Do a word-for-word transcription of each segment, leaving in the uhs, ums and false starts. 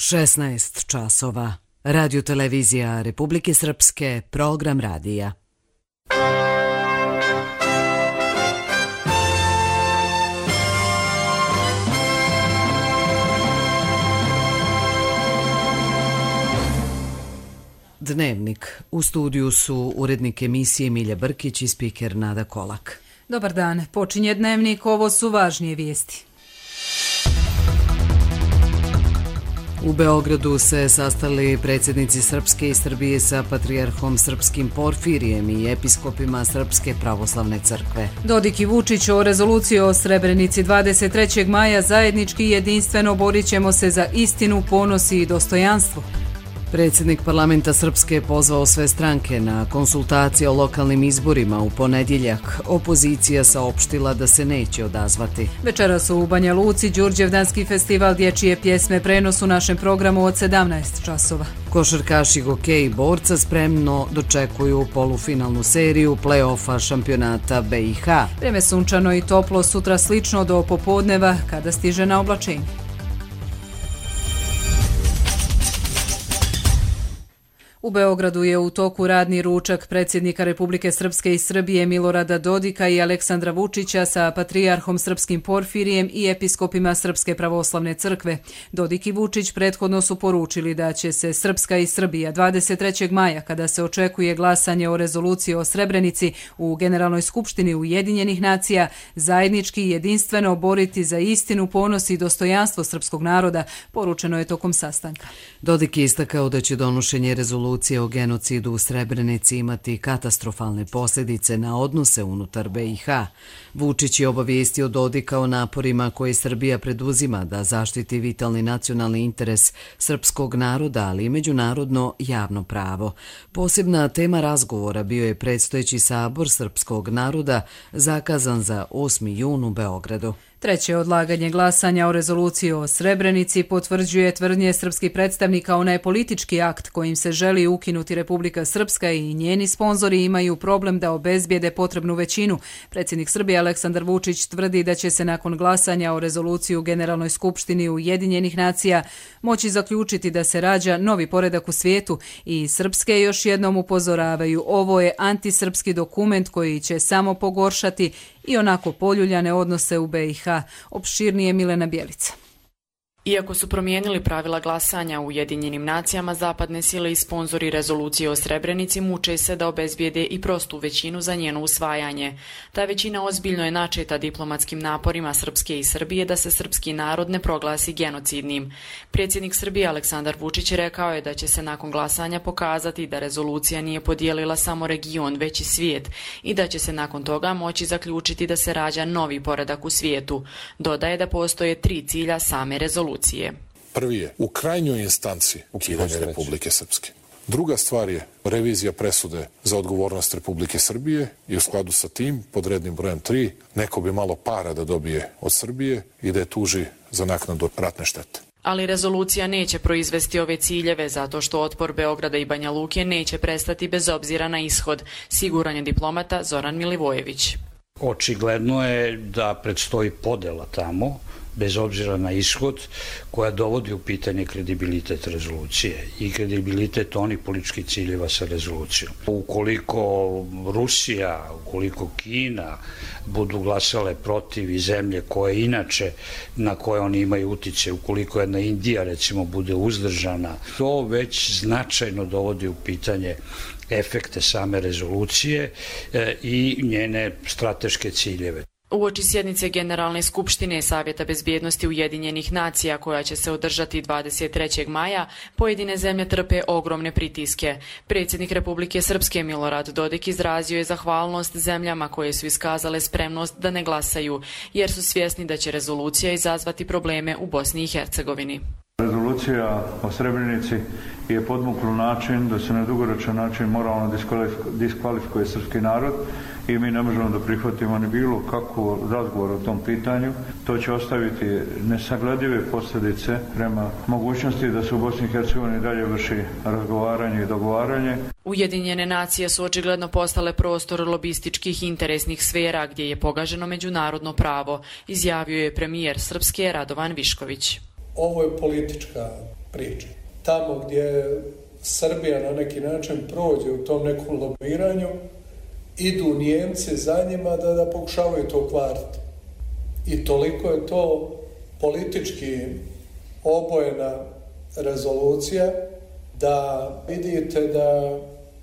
šesnaest časova. Radio televizija Republike Srpske, program radija. Dnevnik. U studiju su urednik emisije Milja Brkić i spiker Nada Kolak. Dobar dan. Počinje Dnevnik, ovo su važnije vijesti. U Beogradu se sastali predsjednici Srpske i Srbije sa patrijarhom srpskim Porfirijem i episkopima Srpske pravoslavne crkve. Dodik i Vučić o rezoluciji o Srebrenici dvadeset trećeg maja zajednički i jedinstveno borit ćemo se za istinu, ponos i dostojanstvo. Predsjednik parlamenta Srpske pozvao sve stranke na konsultacije o lokalnim izborima u ponedjeljak. Opozicija saopštila da se neće odazvati. Večeras u Banja Luci Đurđevdanski festival dječje pjesme prenos u našem programu od sedamnaest časova. Košarkaši Gokej i Borca spremno dočekuju polufinalnu seriju play-offa šampionata B i H. Vreme sunčano i toplo, sutra slično do popodneva kada stiže na oblačenje. U Beogradu je u toku radni ručak predsjednika Republike Srpske i Srbije Milorada Dodika i Aleksandra Vučića sa patrijarhom srpskim Porfirijem i episkopima Srpske pravoslavne crkve. Dodik i Vučić prethodno su poručili da će se Srpska i Srbija dvadeset trećeg maja, kada se očekuje glasanje o rezoluciji o Srebrenici u Generalnoj skupštini Ujedinjenih nacija, zajednički i jedinstveno boriti za istinu, ponos i dostojanstvo srpskog naroda, poručeno je tokom sastanka. Dodik je istakao da će donošenje rezolucije o genocidu u Srebrenici imati katastrofalne posljedice na odnose unutar B i H. Vučić je obavijestio Dodika o naporima koje Srbija preduzima da zaštiti vitalni nacionalni interes srpskog naroda, ali i međunarodno javno pravo. Posebna tema razgovora bio je predstojeći sabor srpskog naroda zakazan za osmi jun u Beogradu. Treće odlaganje glasanja o rezoluciji o Srebrenici potvrđuje tvrdnje srpskih predstavnika onaj politički akt kojim se želi ukinuti Republika Srpska i njeni sponzori imaju problem da obezbijede potrebnu većinu. Predsjednik Srbije Aleksandar Vučić tvrdi da će se nakon glasanja o rezoluciji u Generalnoj skupštini Ujedinjenih nacija moći zaključiti da se rađa novi poredak u svijetu i Srpske još jednom upozoravaju, ovo je antisrpski dokument koji će samo pogoršati i onako poljuljane odnose u B i H. Opširnije Milena Bjelica. Iako su promijenili pravila glasanja u Ujedinjenim nacijama, zapadne sile i sponzori rezolucije o Srebrenici muče se da obezbijede i prostu većinu za njeno usvajanje. Ta većina ozbiljno je načeta diplomatskim naporima Srpske i Srbije da se srpski narod ne proglasi genocidnim. Predsjednik Srbije Aleksandar Vučić rekao je da će se nakon glasanja pokazati da rezolucija nije podijelila samo region, već i svijet i da će se nakon toga moći zaključiti da se rađa novi poredak u svijetu. Dodaje da postoje tri cilja same rezolucije. Prvi je u krajnjoj instanci ukidanje Republike Srpske. Druga stvar je revizija presude za odgovornost Republike Srbije i u skladu sa tim, pod rednim brojem tri, neko bi malo para da dobije od Srbije i da je tuži za naknadu ratne štete. Ali rezolucija neće proizvesti ove ciljeve zato što otpor Beograda i Banja Luke neće prestati bez obzira na ishod, siguran je diplomata Zoran Milivojević. Očigledno je da predstoji podela tamo, bez obzira na ishod, koja dovodi u pitanje kredibilitet rezolucije i kredibilitet onih političkih ciljeva sa rezolucijom. Ukoliko Rusija, ukoliko Kina budu glasale protiv i zemlje koje inače na koje oni imaju utice, ukoliko jedna Indija recimo bude uzdržana, to već značajno dovodi u pitanje efekte same rezolucije i njene strateške ciljeve. Uoči sjednice Generalne skupštine Savjeta bezbjednosti Ujedinjenih nacija koja će se održati dvadeset trećeg maja, pojedine zemlje trpe ogromne pritiske. Predsjednik Republike Srpske Milorad Dodik izrazio je zahvalnost zemljama koje su iskazale spremnost da ne glasaju, jer su svjesni da će rezolucija izazvati probleme u Bosni i Hercegovini. Rezolucija o Srebrenici je podmukla način da se na dugoročan način moralno diskvalifikuje srpski narod i mi ne možemo da prihvatimo ni bilo kakvu razgovor o tom pitanju. To će ostaviti nesagledive posljedice prema mogućnosti da se u Bosni i Hercegovini dalje vrši razgovaranje i dogovaranje. Ujedinjene nacije su očigledno postale prostor lobističkih interesnih sfera gdje je pogaženo međunarodno pravo, izjavio je premijer Srpske Radovan Višković. ovo je politička priča. Tamo gdje Srbija na neki način prođe u tom nekom lobiranju, idu Nijemci za njima da, da pokušavaju to kvariti. I toliko je to politički obojena rezolucija da vidite da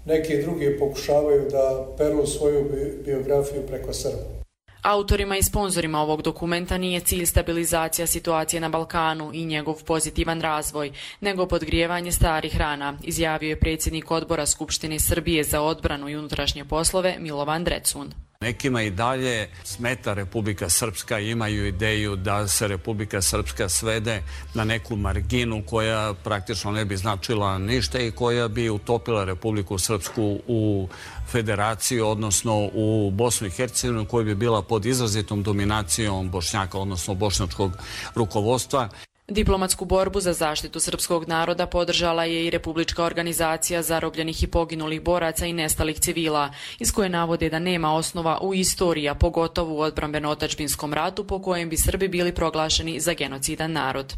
neki drugi pokušavaju da peru svoju biografiju preko Srba. Autorima i sponzorima ovog dokumenta nije cilj stabilizacija situacije na Balkanu i njegov pozitivan razvoj, nego podgrijevanje starih rana, izjavio je predsjednik odbora Skupštine Srbije za odbranu i unutrašnje poslove Milovan Drecun. Nekima i dalje smeta Republika Srpska, imaju ideju da se Republika Srpska svede na neku marginu koja praktično ne bi značila ništa i koja bi utopila Republiku Srpsku u federaciju, odnosno u Bosnu i Hercegovinu, koja bi bila pod izrazitom dominacijom Bošnjaka, odnosno bošnjačkog rukovodstva. Diplomatsku borbu za zaštitu srpskog naroda podržala je i Republička organizacija zarobljenih i poginulih boraca i nestalih civila, iz koje navode da nema osnova u istoriji, a pogotovo u odbrambeno-otadžbinskom ratu po kojem bi Srbi bili proglašeni za genocidan narod.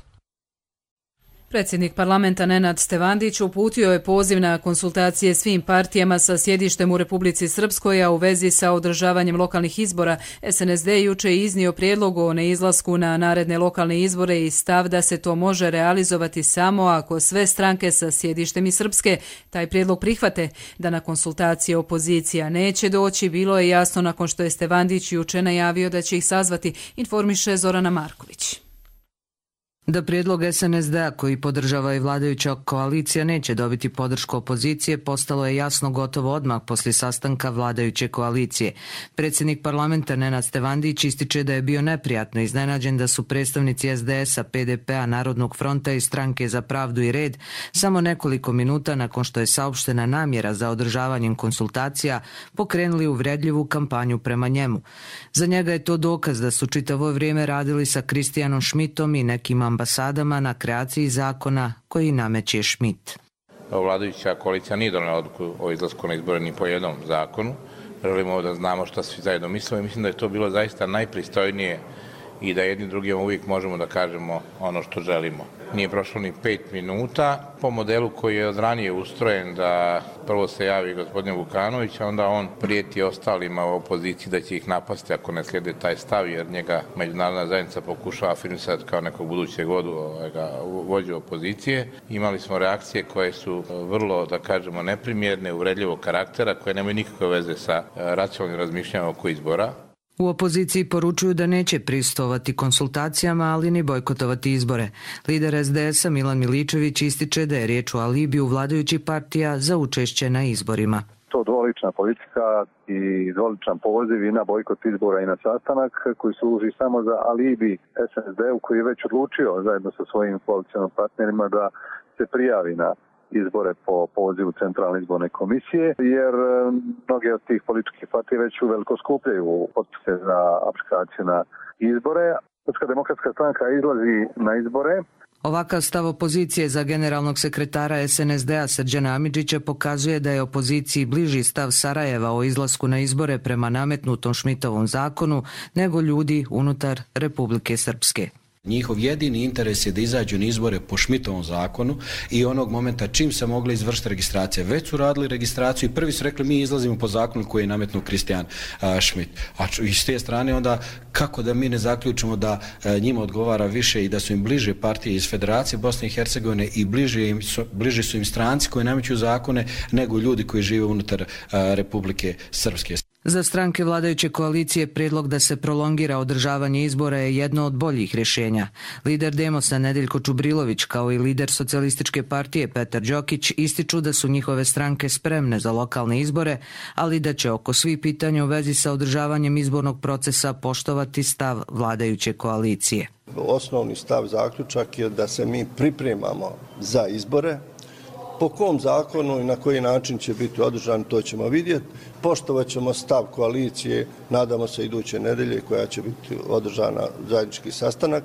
Predsjednik parlamenta Nenad Stevandić uputio je poziv na konsultacije svim partijama sa sjedištem u Republici Srpskoj, a u vezi sa održavanjem lokalnih izbora S N S D juče je iznio prijedlog o neizlasku na naredne lokalne izbore i stav da se to može realizovati samo ako sve stranke sa sjedištem iz Srpske taj prijedlog prihvate. Da na konsultacije opozicija neće doći, bilo je jasno nakon što je Stevandić juče najavio da će ih sazvati, informiše Zorana Marković. Da prijedlog S N S D-a koji podržava i vladajuća koalicija neće dobiti podršku opozicije postalo je jasno gotovo odmah poslije sastanka vladajuće koalicije. Predsjednik parlamenta Nenad Stevandić ističe da je bio neprijatno iznenađen da su predstavnici S D S-a, P D P-a, Narodnog fronta i Stranke za pravdu i red samo nekoliko minuta nakon što je saopštena namjera za održavanjem konsultacija pokrenuli uvredljivu kampanju prema njemu. Za njega je to dokaz da su čitavo vrijeme radili sa Kristijanom Šmitom i nekim ambasadama na kreaciji zakona koji nameće Šmit. Vladajuća koalicija nije donela odluku o izlasku na izbore ni po jednom zakonu. Želimo da znamo šta svi zajedno mislimo i mislim da je to bilo zaista najpristojnije i da jedni drugima uvijek možemo da kažemo ono što želimo. Nije prošlo ni pet minuta po modelu koji je od ranije ustrojen da prvo se javi gospodin Vukanović, a onda on prijeti ostalima u opoziciji da će ih napasti ako ne slijede taj stav, jer njega međunarodna zajednica pokušava afirmisati kao nekog budućeg vodu, vođu opozicije. Imali smo reakcije koje su vrlo, da kažemo, neprimjerne, uvredljivog karaktera, koje nemaju nikakve veze sa racionalnim razmišljanjem oko izbora. U opoziciji poručuju da neće pristovati konsultacijama, ali ni bojkotovati izbore. Lider S D S-a Milan Miličević ističe da je riječ o alibiju vladajućih partija za učešće na izborima. To dvolična politika i dvoličan poziv i na bojkot izbora i na sastanak koji služi samo za alibi S N S D-u koji je već odlučio zajedno sa svojim koalicijskim partnerima da se prijavi na izbore po pozivu Centralne izborne komisije, jer mnoge od tih političkih partija već uveliko skupljaju potpise za aplikaciju na izbore. Srpska demokratska stranka izlazi na izbore. Ovakav stav opozicije za generalnog sekretara S N S D-a Srđana Amidžića pokazuje da je opoziciji bliži stav Sarajeva o izlasku na izbore prema nametnutom Šmitovom zakonu nego ljudi unutar Republike Srpske. Njihov jedini interes je da izađu na izbore po Šmitovom zakonu i onog momenta čim se mogla izvršiti registracija. Već su radili registraciju i prvi su rekli mi izlazimo po zakonu koji je nametnuo Kristijan Šmit. A s te strane onda kako da mi ne zaključimo da njima odgovara više i da su im bliže partije iz Federacije Bosne i Hercegovine i bliže, im su, bliže su im stranci koji nameću zakone nego ljudi koji žive unutar Republike Srpske. Za stranke vladajuće koalicije prijedlog da se prolongira održavanje izbora je jedno od boljih rješenja. Lider Demosa Nedeljko Čubrilović kao i lider Socijalističke partije Petar Đokić ističu da su njihove stranke spremne za lokalne izbore, ali da će oko svih pitanja u vezi sa održavanjem izbornog procesa poštovati stav vladajuće koalicije. Osnovni stav zaključak je da se mi pripremamo za izbore Po kom zakonu i na koji način će biti održan, to ćemo vidjeti. Poštovat ćemo stav koalicije, nadamo se iduće nedelje koja će biti održana zajednički sastanak,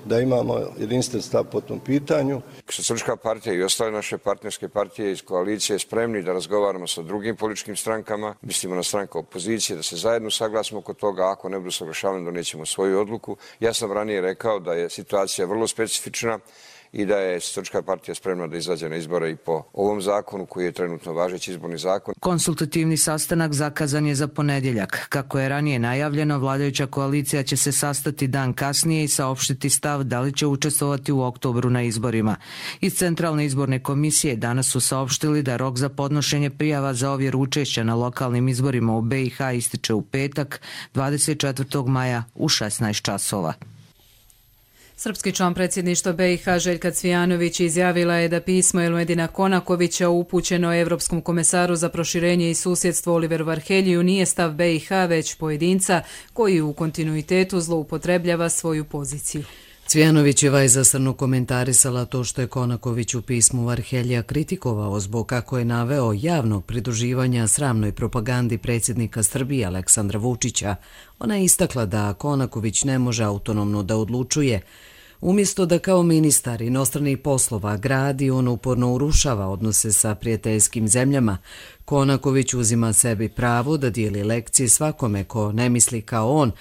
da imamo jedinstven stav po tom pitanju. Socijalistička partija i ostale naše partnerske partije iz koalicije spremni da razgovaramo sa drugim političkim strankama, mislimo na stranke opozicije, da se zajedno saglasimo oko toga, ako ne budu saglašavani donećemo svoju odluku. Ja sam ranije rekao da je situacija vrlo specifična i da je Socijalistička partija spremna da izađe na izbore i po ovom zakonu koji je trenutno važeći izborni zakon. Konsultativni sastanak zakazan je za ponedjeljak. Kako je ranije najavljeno, vladajuća koalicija će se sastati dan kasnije i saopštiti stav da li će učestvovati u oktobru na izborima. Iz Centralne izborne komisije danas su saopštili da rok za podnošenje prijava za ovjeru učešća na lokalnim izborima u B i H ističe u petak, dvadeset četvrtog maja u šesnaest časova. Srpski član predsjedništva B i H Željka Cvijanović izjavila je da pismo Elmedina Konakovića upućeno Evropskom komesaru za proširenje i susjedstvo Oliveru Varheljiju nije stav B i H već pojedinca koji u kontinuitetu zloupotrebljava svoju poziciju. Cvijanovićeva je zasrno komentarisala to što je Konaković u pismu Varheljija kritikovao zbog kako je naveo javnog pridruživanja sramnoj propagandi predsjednika Srbije Aleksandra Vučića. Ona je istakla da Konaković ne može autonomno da odlučuje. Umjesto da kao ministar inostranih poslova gradi, on uporno urušava odnose sa prijateljskim zemljama. Konaković uzima sebi pravo da dijeli lekcije svakome ko ne misli kao on.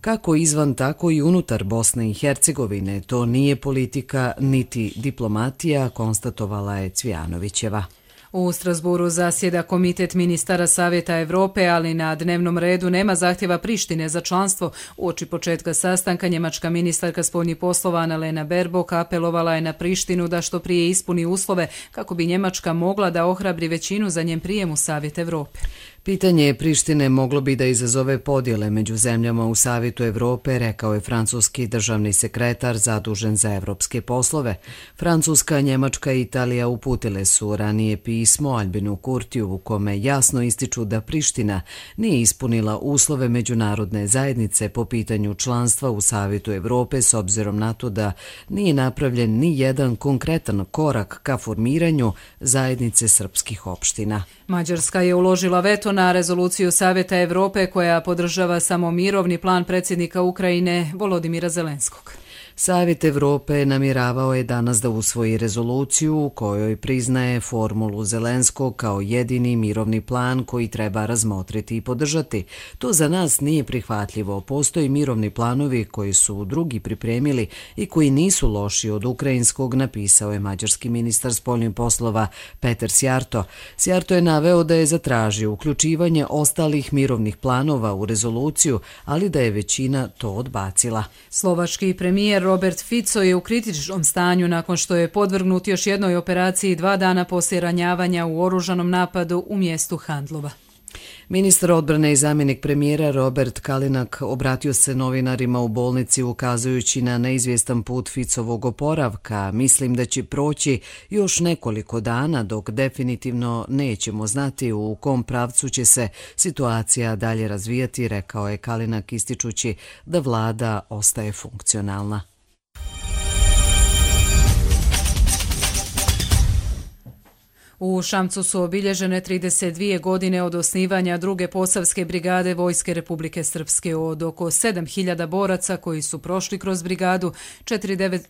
Kako izvan, tako i unutar Bosne i Hercegovine. To nije politika niti diplomatija, konstatovala je Cvijanovićeva. U Strasburu zasjeda Komitet ministara Savjeta Evrope, ali na dnevnom redu nema zahtjeva Prištine za članstvo. Uoči početka sastanka njemačka ministarka spoljnih poslova Annalena Baerbock apelovala je na Prištinu da što prije ispuni uslove kako bi Njemačka mogla da ohrabri većinu za njen prijem u Savjet Evrope. Pitanje Prištine moglo bi da izazove podjele među zemljama u Savjetu Evrope, rekao je francuski državni sekretar zadužen za evropske poslove. Francuska, Njemačka i Italija uputile su ranije pismo Albinu Kurtiju u kome jasno ističu da Priština nije ispunila uslove međunarodne zajednice po pitanju članstva u Savjetu Evrope s obzirom na to da nije napravljen ni jedan konkretan korak ka formiranju zajednice srpskih opština. Mađarska je uložila veto na rezoluciju Savjeta Evrope koja podržava samo mirovni plan predsjednika Ukrajine Volodimira Zelenskog. Savjet Evrope namjeravao je danas da usvoji rezoluciju u kojoj priznaje formulu Zelenskog kao jedini mirovni plan koji treba razmotriti i podržati. To za nas nije prihvatljivo. Postoji mirovni planovi koji su drugi pripremili i koji nisu loši od ukrajinskog, napisao je mađarski ministar spoljnih poslova Peter Sjarto. Sjarto je naveo da je zatražio uključivanje ostalih mirovnih planova u rezoluciju, ali da je većina to odbacila. Slovački premijer Robert Fico je u kritičnom stanju nakon što je podvrgnut još jednoj operaciji dva dana poslije ranjavanja u oružanom napadu u mjestu Handlova. Ministar odbrane i zamjenik premijera Robert Kalinak obratio se novinarima u bolnici ukazujući na neizvjestan put Ficovog oporavka. Mislim da će proći još nekoliko dana dok definitivno nećemo znati u kom pravcu će se situacija dalje razvijati, rekao je Kalinak ističući da vlada ostaje funkcionalna. U Šamcu su obilježene trideset dvije godine od osnivanja druge posavske brigade Vojske Republike Srpske. Od oko sedam hiljada boraca koji su prošli kroz brigadu,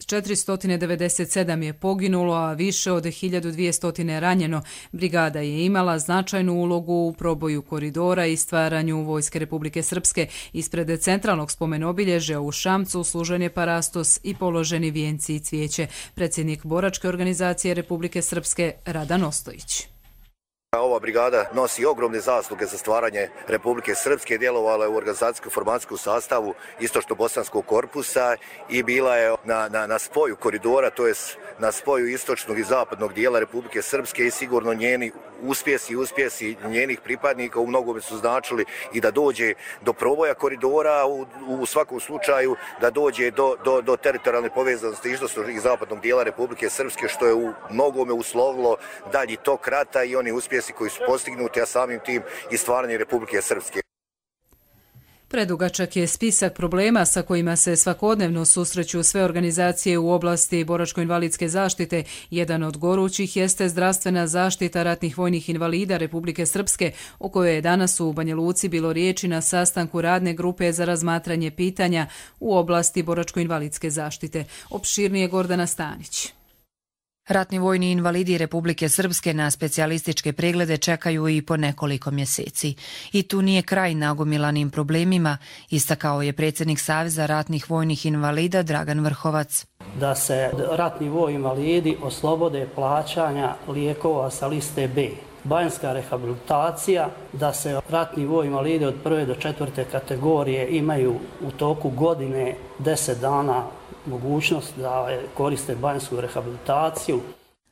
četiristo devedeset sedam je poginulo, a više od hiljadu dvjesto ranjeno. Brigada je imala značajnu ulogu u proboju koridora i stvaranju Vojske Republike Srpske. Ispred centralnog spomenobilježja u Šamcu služen je parastos i položeni vijenci i cvijeće. Predsjednik boračke organizacije Republike Srpske Radan Ostojić. Ova brigada nosi ogromne zasluge za stvaranje Republike Srpske, djelovala je u organizacijsko-formacijskom sastavu istočno-bosanskog korpusa i bila je na, na, na spoju koridora, to je na spoju istočnog i zapadnog dijela Republike Srpske i sigurno njeni uspjesi i uspjesi njenih pripadnika u mnogome su značili i da dođe do proboja koridora, u, u svakom slučaju da dođe do, do, do teritorijalne povezanosti istočnog i zapadnog dijela Republike Srpske, što je u mnogome uslovilo dalji tok rata i oni uspjesi koji su postignuti, a samim tim i stvaranje Republike Srpske. Predugačak je spisak problema sa kojima se svakodnevno susreću sve organizacije u oblasti boračko-invalidske zaštite. Jedan od gorućih jeste zdravstvena zaštita ratnih vojnih invalida Republike Srpske, o kojoj je danas u Banja Luci bilo riječi na sastanku radne grupe za razmatranje pitanja u oblasti boračko-invalidske zaštite. Opširnije Gordana Stanić. Ratni vojni invalidi Republike Srpske na specijalističke preglede čekaju i po nekoliko mjeseci. I tu nije kraj nagomilanim problemima, istakao je predsjednik Saveza ratnih vojnih invalida Dragan Vrhovac. Da se ratni vojni invalidi oslobode plaćanja lijekova sa liste B. Banjska rehabilitacija, da se ratni vojni invalidi od prve do četvrte kategorije imaju u toku godine deset dana mogućnost da koriste banjsku rehabilitaciju.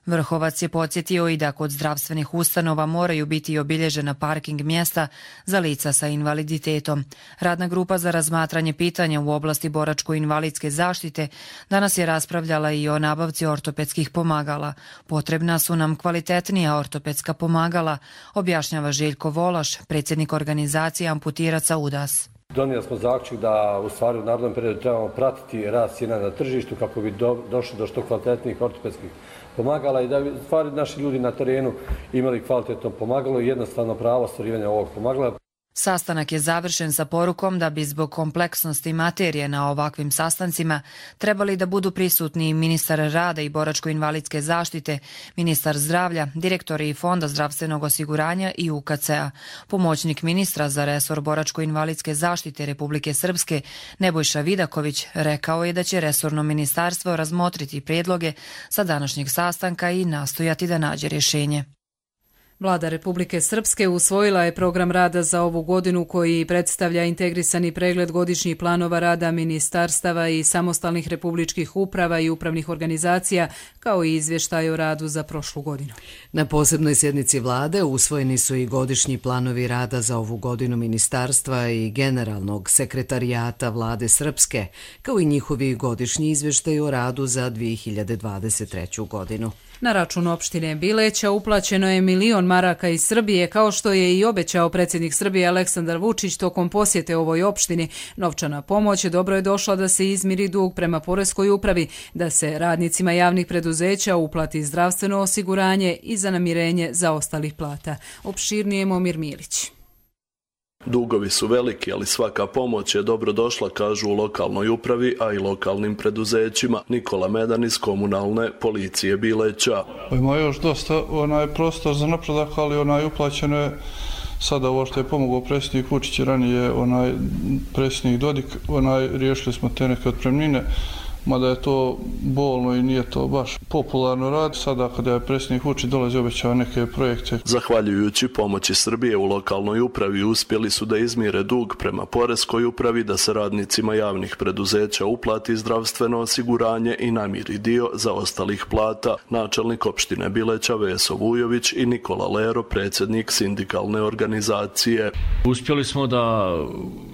Vrhovac je podsjetio i da kod zdravstvenih ustanova moraju biti obilježena parking mjesta za lica sa invaliditetom. Radna grupa za razmatranje pitanja u oblasti boračko-invalidske zaštite danas je raspravljala i o nabavci ortopedskih pomagala. Potrebna su nam kvalitetnija ortopedska pomagala, objašnjava Željko Volaš, predsjednik organizacije Amputiraca U D A S. Donijeli smo zaključak da u stvari u narednom periodu trebamo pratiti rast cijena na tržištu kako bi do, došli do što kvalitetnijih ortopedskih pomagala i da bi stvari naši ljudi na terenu imali kvalitetno pomagalo i jednostavno pravo ostvarivanja ovog pomagala. Sastanak je završen sa porukom da bi zbog kompleksnosti materije na ovakvim sastancima trebali da budu prisutni ministar rada i boračko-invalidske zaštite, ministar zdravlja, direktori Fonda zdravstvenog osiguranja i U K C-a. Pomoćnik ministra za resor boračko-invalidske zaštite Republike Srpske, Nebojša Vidaković, rekao je da će resorno ministarstvo razmotriti prijedloge sa današnjeg sastanka i nastojati da nađe rješenje. Vlada Republike Srpske usvojila je program rada za ovu godinu koji predstavlja integrisani pregled godišnjih planova rada ministarstava i samostalnih republičkih uprava i upravnih organizacija, kao i izvještaj o radu za prošlu godinu. Na posebnoj sjednici vlade usvojeni su i godišnji planovi rada za ovu godinu ministarstva i generalnog sekretarijata vlade Srpske, kao i njihovi godišnji izvještaj o radu za dvije hiljade dvadeset treću godinu. Na račun opštine Bileća uplaćeno je milion maraka iz Srbije, kao što je i obećao predsjednik Srbije Aleksandar Vučić tokom posjete ovoj opštini. Novčana pomoć dobro je došla da se izmiri dug prema poreskoj upravi, da se radnicima javnih preduzeća uplati zdravstveno osiguranje i za namirenje zaostalih plata. Opširnije Momir Milić. Dugovi su veliki, ali svaka pomoć je dobro došla, kažu u lokalnoj upravi, a i lokalnim preduzećima. Nikola Medan iz komunalne policije Bileća. Ima još dosta onaj prostor za napredak, ali onaj uplaćeno je sada ovo što je pomogao predsjednik Vučić i ranije onaj predsjednik Dodik, onaj riješili smo te neke otpremnine, mada je to bolno i nije to baš popularno rad. Sada kada je predsjednik Vučić dolazi obećava neke projekte. Zahvaljujući pomoći Srbije u lokalnoj upravi uspjeli su da izmire dug prema poreskoj upravi, da se radnicima javnih preduzeća uplati zdravstveno osiguranje i namiri dio zaostalih plata. Načelnik opštine Bileća Veso Vujović i Nikola Lero, predsjednik sindikalne organizacije. Uspjeli smo da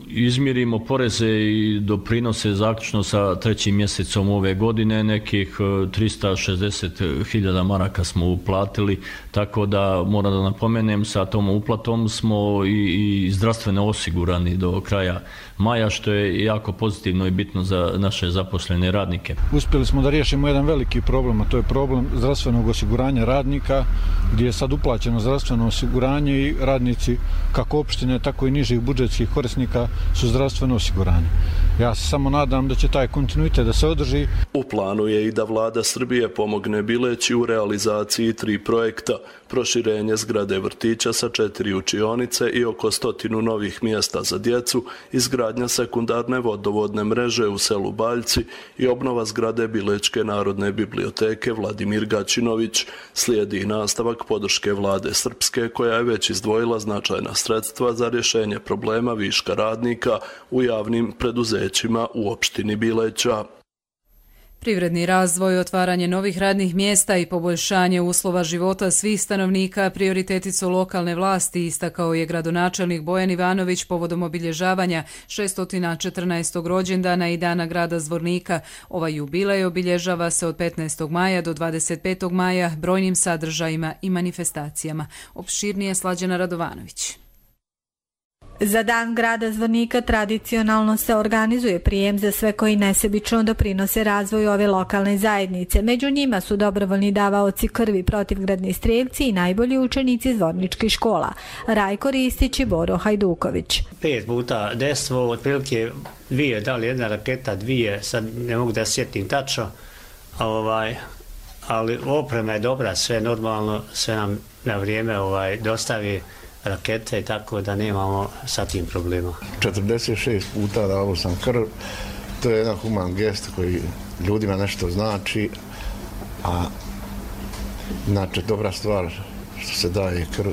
izmirimo poreze i doprinose zaključno sa trećim mjesecom ove godine, nekih trista šezdeset hiljada maraka smo uplatili, tako da moram da napomenem, sa tom uplatom smo i, i zdravstveno osigurani do kraja maja, što je jako pozitivno i bitno za naše zaposlene radnike. Uspjeli smo da riješimo jedan veliki problem, a to je problem zdravstvenog osiguranja radnika, gdje je sad uplaćeno zdravstveno osiguranje i radnici kako opštine, tako i nižih budžetskih korisnika su zdravstveno osiguranje. Ja se samo nadam da će taj kontinuitet da se održi. U planu je i da vlada Srbije pomogne Bileći u realizaciji tri projekta: proširenje zgrade vrtića sa četiri učionice i oko stotinu novih mjesta za djecu, izgradnja sekundarne vodovodne mreže u selu Baljci i obnova zgrade Bilečke narodne biblioteke Vladimir Gaćinović. Slijedi i nastavak podrške vlade Srpske, koja je već izdvojila značajna sredstva za rješenje problema viška radnika u javnim preduzećima u opštini Bileća. Privredni razvoj, otvaranje novih radnih mjesta i poboljšanje uslova života svih stanovnika prioriteti su lokalne vlasti, istakao je gradonačelnik Bojan Ivanović povodom obilježavanja šesto četrnaestog rođendana i dana grada Zvornika. Ovaj jubilej obilježava se od petnaestog maja do dvadeset petog maja brojnim sadržajima i manifestacijama. Opširnije Slađana Radovanović. Za dan grada Zvornika tradicionalno se organizuje prijem za sve koji nesebično doprinose razvoju ove lokalne zajednice. Među njima su dobrovoljni davaoci krvi, protivgradni strijelci i najbolji učenici zvorničkih škola. Rajko Ristić i Boro Hajduković. Pet puta destvo, otprilike dvije, da li jedna raketa, dvije, sad ne mogu da sjetim tačno, ovaj, ali oprema je dobra, sve normalno, sve nam na vrijeme ovaj, dostavi rakete, tako da nemamo sa tim problema. četrdeset šest puta dao sam krv, to je jedan human gest koji ljudima nešto znači, a znači dobra stvar što se daje krv.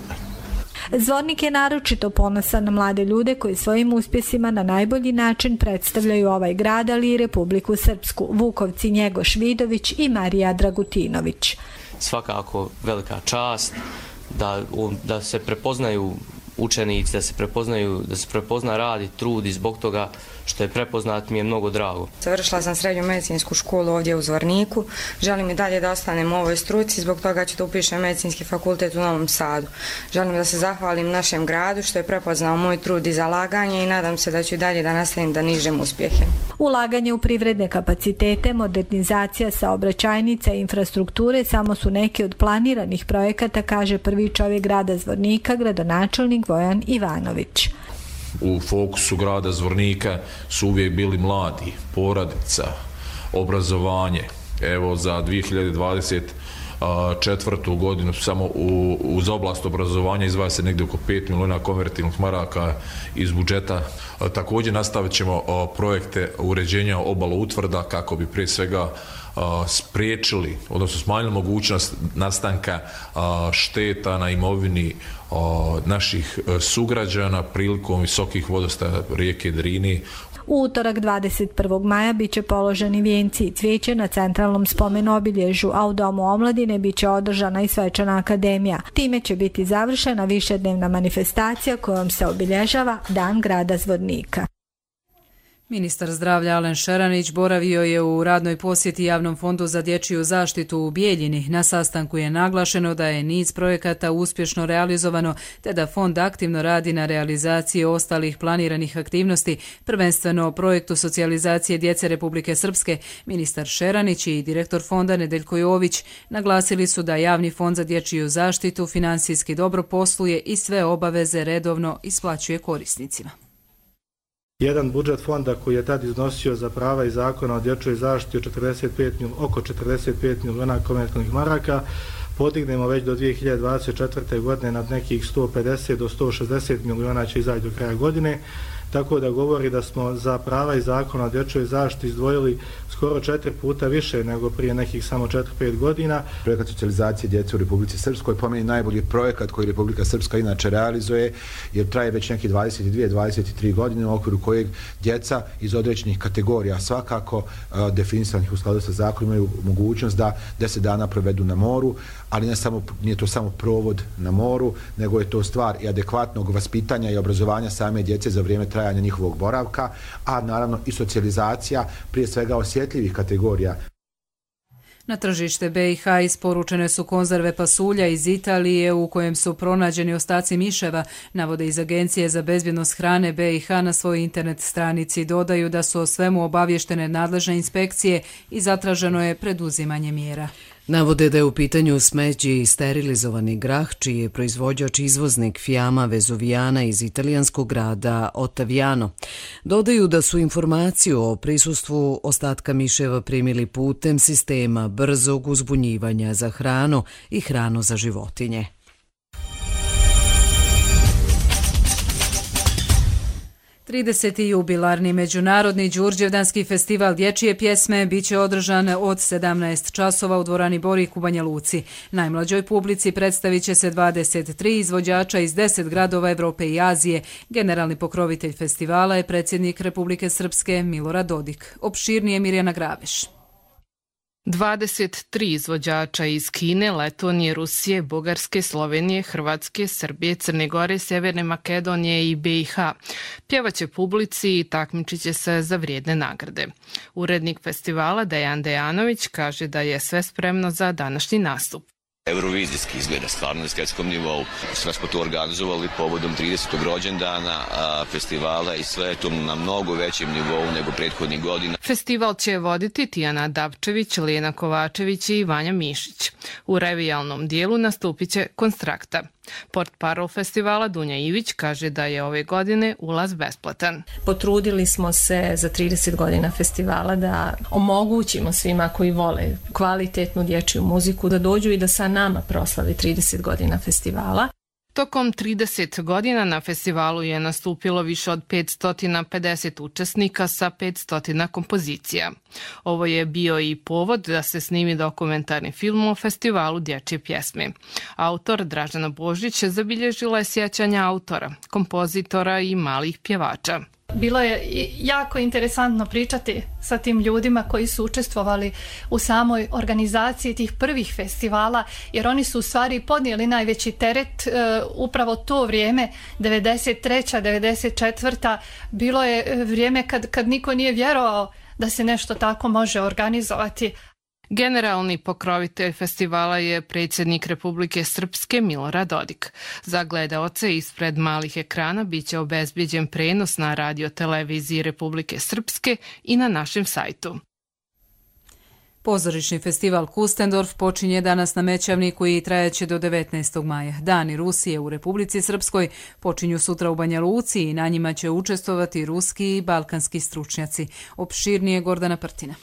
Zvornik je naročito ponosan na mlade ljude koji svojim uspjesima na najbolji način predstavljaju ovaj grad, ali i Republiku Srpsku. Vukovci Njegoš Vidović i Marija Dragutinović. Svakako velika čast da, da se prepoznaju učenici, da se prepoznaju, da se prepozna rad i trud i zbog toga što je prepoznat mi je mnogo drago. Završila sam srednju medicinsku školu ovdje u Zvorniku. Želim i dalje da ostanem u ovoj struci, zbog toga ću da upišem medicinski fakultet u Novom Sadu. Želim da se zahvalim našem gradu što je prepoznao moj trud i zalaganje i nadam se da ću i dalje da nastavim da nižem uspjehe. Ulaganje u privredne kapacitete, modernizacija saobraćajnica i infrastrukture samo su neki od planiranih projekata, kaže prvi čovjek grada Zvornika, gradonačelnik Vojan Ivanović. U fokusu grada Zvornika su uvijek bili mladi, porodica, obrazovanje. Evo za dvije hiljade dvadeset četvrtu godinu samo u, uz oblast obrazovanja izdvaja se negdje oko pet milijuna konvertibilnih maraka iz budžeta. Također nastavit ćemo projekte uređenja obala utvrda kako bi prije svega spriječili, odnosno smanjili mogućnost nastanka šteta na imovini naših sugrađana prilikom visokih vodostaja rijeke Drini. U utorak dvadeset prvog maja biće položeni vijenci i cvijeće na centralnom spomenu obilježju, a u Domu omladine biće održana i svečana akademija. Time će biti završena višednevna manifestacija kojom se obilježava Dan grada Zvornika. Ministar zdravlja Alen Šeranić boravio je u radnoj posjeti Javnom fondu za dječju zaštitu u Bijeljini. Na sastanku je naglašeno da je niz projekata uspješno realizovano te da fond aktivno radi na realizaciji ostalih planiranih aktivnosti, prvenstveno o projektu socijalizacije djece Republike Srpske. Ministar Šeranić i direktor fonda Nedeljko Jović naglasili su da Javni fond za dječju zaštitu finansijski dobro posluje i sve obaveze redovno isplaćuje korisnicima. Jedan budžet fonda koji je tad iznosio za prava i zakona o dječjoj zaštiti četrdeset pet, oko četrdeset pet milijuna konvertibilnih maraka, podignemo već do dvije hiljade dvadeset četvrte. godine nad nekih sto pedeset do sto šezdeset milijuna će izaći do kraja godine, tako da govori da smo za prava i zakona o dječjoj zaštiti izdvojili skoro četiri puta više nego prije nekih samo četiri pet godina. Projekat socijalizacije djece u Republici Srpskoj po meni najbolji projekat koji Republika Srpska inače realizuje, jer traje već neki dvadeset dvije do dvadeset tri godine, u okviru kojeg djeca iz određenih kategorija svakako uh, definisanih u skladu sa zakonom imaju mogućnost da deset dana provedu na moru, ali ne samo, nije to samo provod na moru, nego je to stvar i adekvatnog vaspitanja i obrazovanja same djece za vrijeme trajanja njihovog boravka, a naravno i socijalizacija prije svega osjetljivih kategorija. Na tržište B i H isporučene su konzerve pasulja iz Italije u kojem su pronađeni ostaci miševa, navode iz Agencije za bezbjednost hrane B i H na svojoj internet stranici. Dodaju da su o svemu obavještene nadležne inspekcije i zatraženo je preduzimanje mjera. Navode da je u pitanju smeđi i sterilizovani grah, čiji je proizvođač izvoznik Fiamma Vesuvijana iz italijanskog grada Ottaviano. Dodaju da su informaciju o prisustvu ostatka miševa primili putem sistema brzog uzbunjivanja za hranu i hranu za životinje. trideseti jubilarni međunarodni Đurđevdanski festival dječje pjesme biće održan od sedamnaest časova u dvorani Borik u Banja Luci. Najmlađoj publici predstavit će se dvadeset tri izvođača iz deset gradova Evrope i Azije. Generalni pokrovitelj festivala je predsjednik Republike Srpske Milorad Dodik. Opširnije Mirjana Graveš. dvadeset tri izvođača iz Kine, Letonije, Rusije, Bugarske, Slovenije, Hrvatske, Srbije, Crne Gore, Sjeverne Makedonije i B i H pjevaće publici i takmičit će se za vrijedne nagrade. Urednik festivala Dejan Dejanović kaže da je sve spremno za današnji nastup. Eurovizijski izgleda stvarno na svjetskom nivou. Sve smo to organizovali povodom tridesetog rođendana a, festivala i sve je to na mnogo većem nivou nego prethodnih godina. Festival će voditi Tijana Dapčević, Lijena Kovačević i Vanja Mišić. U revijalnom dijelu nastupit će Konstrakta. Portparol festivala Dunja Ivić kaže da je ove godine ulaz besplatan. Potrudili smo se za trideset godina festivala da omogućimo svima koji vole kvalitetnu dječju muziku da dođu i da sa nama proslavi trideset godina festivala. Tokom trideset godina na festivalu je nastupilo više od petsto pedeset učesnika sa petsto kompozicija. Ovo je bio i povod da se snimi dokumentarni film o festivalu dječje pjesme. Autor Dražana Božić zabilježila je sjećanja autora, kompozitora i malih pjevača. Bilo je jako interesantno pričati sa tim ljudima koji su učestvovali u samoj organizaciji tih prvih festivala, jer oni su u stvari podnijeli najveći teret. Upravo to vrijeme, devedeset treća devedeset četvrta bilo je vrijeme kad, kad niko nije vjerovao da se nešto tako može organizovati. Generalni pokrovitelj festivala je predsjednik Republike Srpske Milorad Dodik. Za gledaoce ispred malih ekrana bit će obezbijeđen prenos na radio-televiziji Republike Srpske i na našem sajtu. Pozorišni festival Kustendorf počinje danas na Mećavniku i trajaće do devetnaestog maja. Dani Rusije u Republici Srpskoj počinju sutra u Banja Luci i na njima će učestvovati ruski i balkanski stručnjaci. Opširnije Gordana Prtina.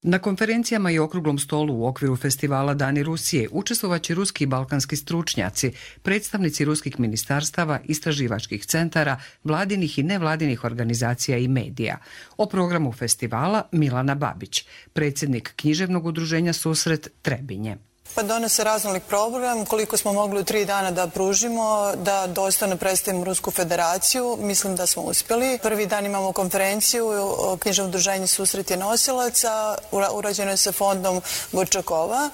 Na konferencijama i okruglom stolu u okviru festivala Dani Rusije učestvovaće ruski i balkanski stručnjaci, predstavnici ruskih ministarstava, istraživačkih centara, vladinih i nevladinih organizacija i medija. O programu festivala Milana Babić, predsjednik književnog udruženja Susret Trebinje. Pa donose raznolik program, koliko smo mogli u tri dana da pružimo, da dostojno predstavimo Rusku federaciju, mislim da smo uspjeli. Prvi dan imamo konferenciju o književnom udruženju Susret je nosilaca, urađeno je sa fondom Gorčakova.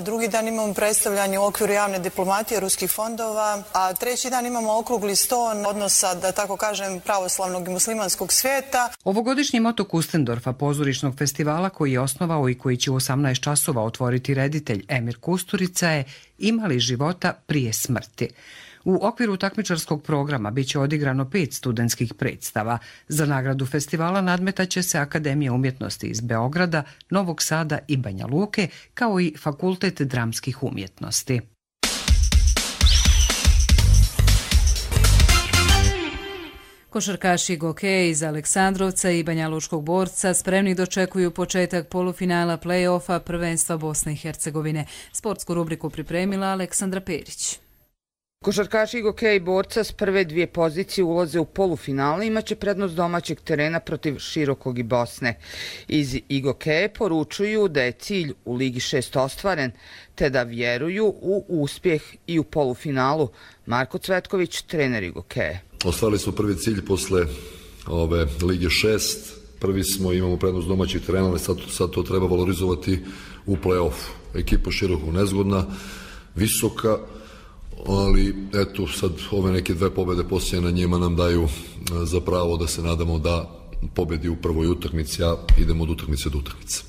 Drugi dan imamo predstavljanje u okviru javne diplomatije ruskih fondova, a treći dan imamo okrugli sto odnosa, da tako kažem, pravoslavnog i muslimanskog svijeta. Ovogodišnji moto Kustendorfa, pozorišnog festivala koji je osnovao i koji će u osamnaest časova otvoriti reditelj Emir Kusturica je Imali života prije smrti. U okviru takmičarskog programa biće odigrano pet studentskih predstava. Za nagradu festivala nadmetaće se Akademija umjetnosti iz Beograda, Novog Sada i Banja Luke, kao i Fakultet dramskih umjetnosti. Košarkaši Gokeja iz Aleksandrovca i Banjalučkog Borca spremni dočekuju početak polufinala play-offa prvenstva Bosne i Hercegovine. Sportsku rubriku pripremila Aleksandra Perić. Košarkaši Gokeja i Borca s prve dvije pozicije ulaze u polufinale, imaće prednost domaćeg terena protiv Širokog i Bosne. Iz Igokeje poručuju da je cilj u Ligi šest ostvaren, te da vjeruju u uspjeh i u polufinalu. Marko Cvetković, trener Igokeje. Ostvarili smo prvi cilj posle ove Lige šest. Prvi smo, imamo prednost domaćeg terena, ali sad, sad to treba valorizovati u play-offu. Ekipa Širokog nezgodna, visoka, ali eto sad ove neke dve pobjede poslije na njima nam daju za pravo da se nadamo da pobjedi u prvoj utakmici, a idemo od utakmice do utakmice.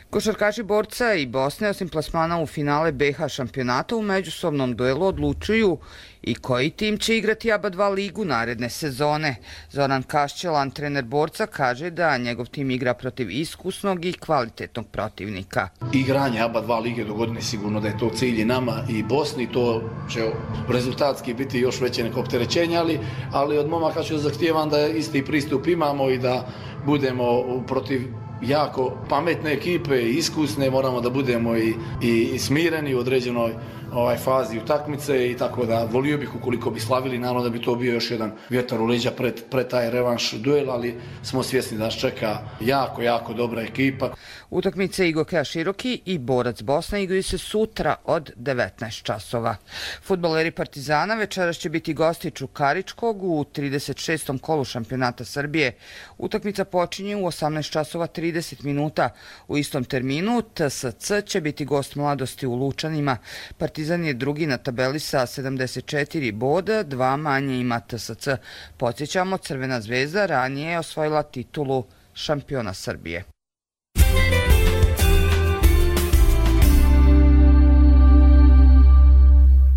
Košarkaši Borca i Bosne, osim plasmana u finale B H šampionata, u međusobnom duelu odlučuju i koji tim će igrati A B A dva ligu naredne sezone. Zoran Kašćelan, trener Borca, kaže da njegov tim igra protiv iskusnog i kvalitetnog protivnika. Igranje A B A dva lige do godine sigurno da je to cilj i nama i Bosni, to će rezultatski biti još veće neko opterećenje, ali, ali od momaka ću zahtijevam da isti pristup imamo i da budemo protiv jako pametne ekipe i iskusne, moramo da budemo i, i smireni u određenoj ovaj fazi utakmice i tako da volio bih ukoliko bi slavili, naravno da bi to bio još jedan vjetar u leđa pred, pred taj revanš duel, ali smo svjesni da nas čeka jako, jako dobra ekipa. Utakmice Igokeja Široki i Borac Bosna igraju se sutra od devetnaest časova. Fudbaleri Partizana večeras će biti gosti Čukaričkog u trideset šestom kolu šampionata Srbije. Utakmica počinje u osamnaest časova trideset minuta. U istom terminu T S C će biti gost Mladosti u Lučanima. Partizan je drugi na tabeli sa sedamdeset četiri boda, dva manje ima T S C. Podsjećamo, Crvena zvezda ranije je osvojila titulu šampiona Srbije.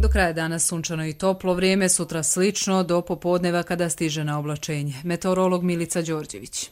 Do kraja dana sunčano i toplo vrijeme, sutra slično do popodneva kada stiže na oblačenje. Meteorolog Milica Đorđević.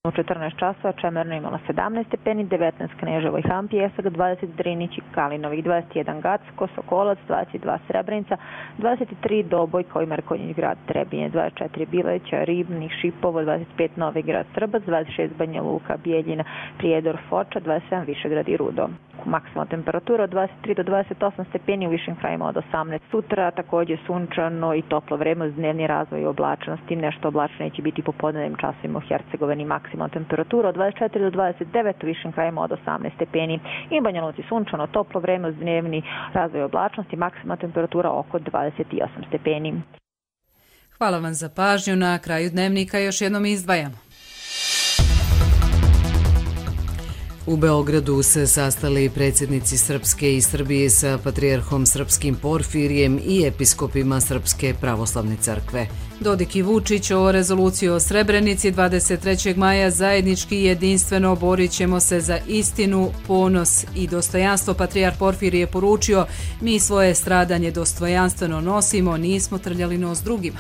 U četrnaest časova Čemerno imala sedamnaest stepeni, devetnaest Kneževo i Hampijesak, dvadeset Drinić i Kalinovih, dvadeset jedan Gacko, Sokolac, dvadeset dva Srebrenica, dvadeset tri Doboj kao i Markonjić grad Trebinje, dvadeset četiri Bileća, Ribnik, Šipovo, dvadeset pet Novi grad Srbac, dvadeset šest Banja Luka, Bijeljina, Prijedor, Foča, dvadeset sedam Višegrad i Rudo. Maksimalna temperatura od dvadeset tri do dvadeset osam stepeni, u višim krajima od osamnaest. Sutra također sunčano i toplo vreme uz dnevni razvoj i oblačnosti. Nešto oblačno će biti popodnevnim časovima u Hercegovini. Maksimalna temperatura od dvadeset četiri do dvadeset devet, u višim krajima od osamnaest stepeni. I Banja Luci sunčano, toplo vreme uz dnevni razvoj i oblačnosti. Maksimalna temperatura oko dvadeset osam stepeni. Hvala vam za pažnju. Na kraju dnevnika još jednom izdvajamo. U Beogradu se sastali predsjednici Srpske i Srbije sa patrijarhom srpskim Porfirijem i episkopima Srpske pravoslavne crkve. Dodik i Vučić o rezoluciji o Srebrenici dvadeset trećeg maja zajednički i jedinstveno borit ćemo se za istinu, ponos i dostojanstvo. Patrijarh Porfirije je poručio: mi svoje stradanje dostojanstveno nosimo, nismo trljali nos drugima.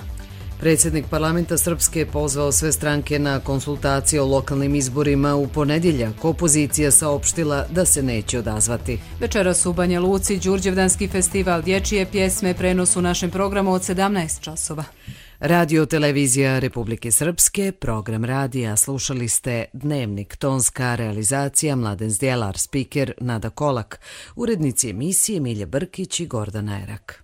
Predsjednik parlamenta Srpske pozvao sve stranke na konsultacije o lokalnim izborima u ponedjeljak. Opozicija saopštila da se neće odazvati. Večeras u Banja Luci Đurđevdanski festival dječje pjesme, prenos u našem programu od sedamnaest časova. Radio televizija Republike Srpske, program radija, slušali ste Dnevnik, tonska realizacija Mladen Zdjelar, spiker Nada Kolak, urednici emisije Milja Brkić i Gordana Erak.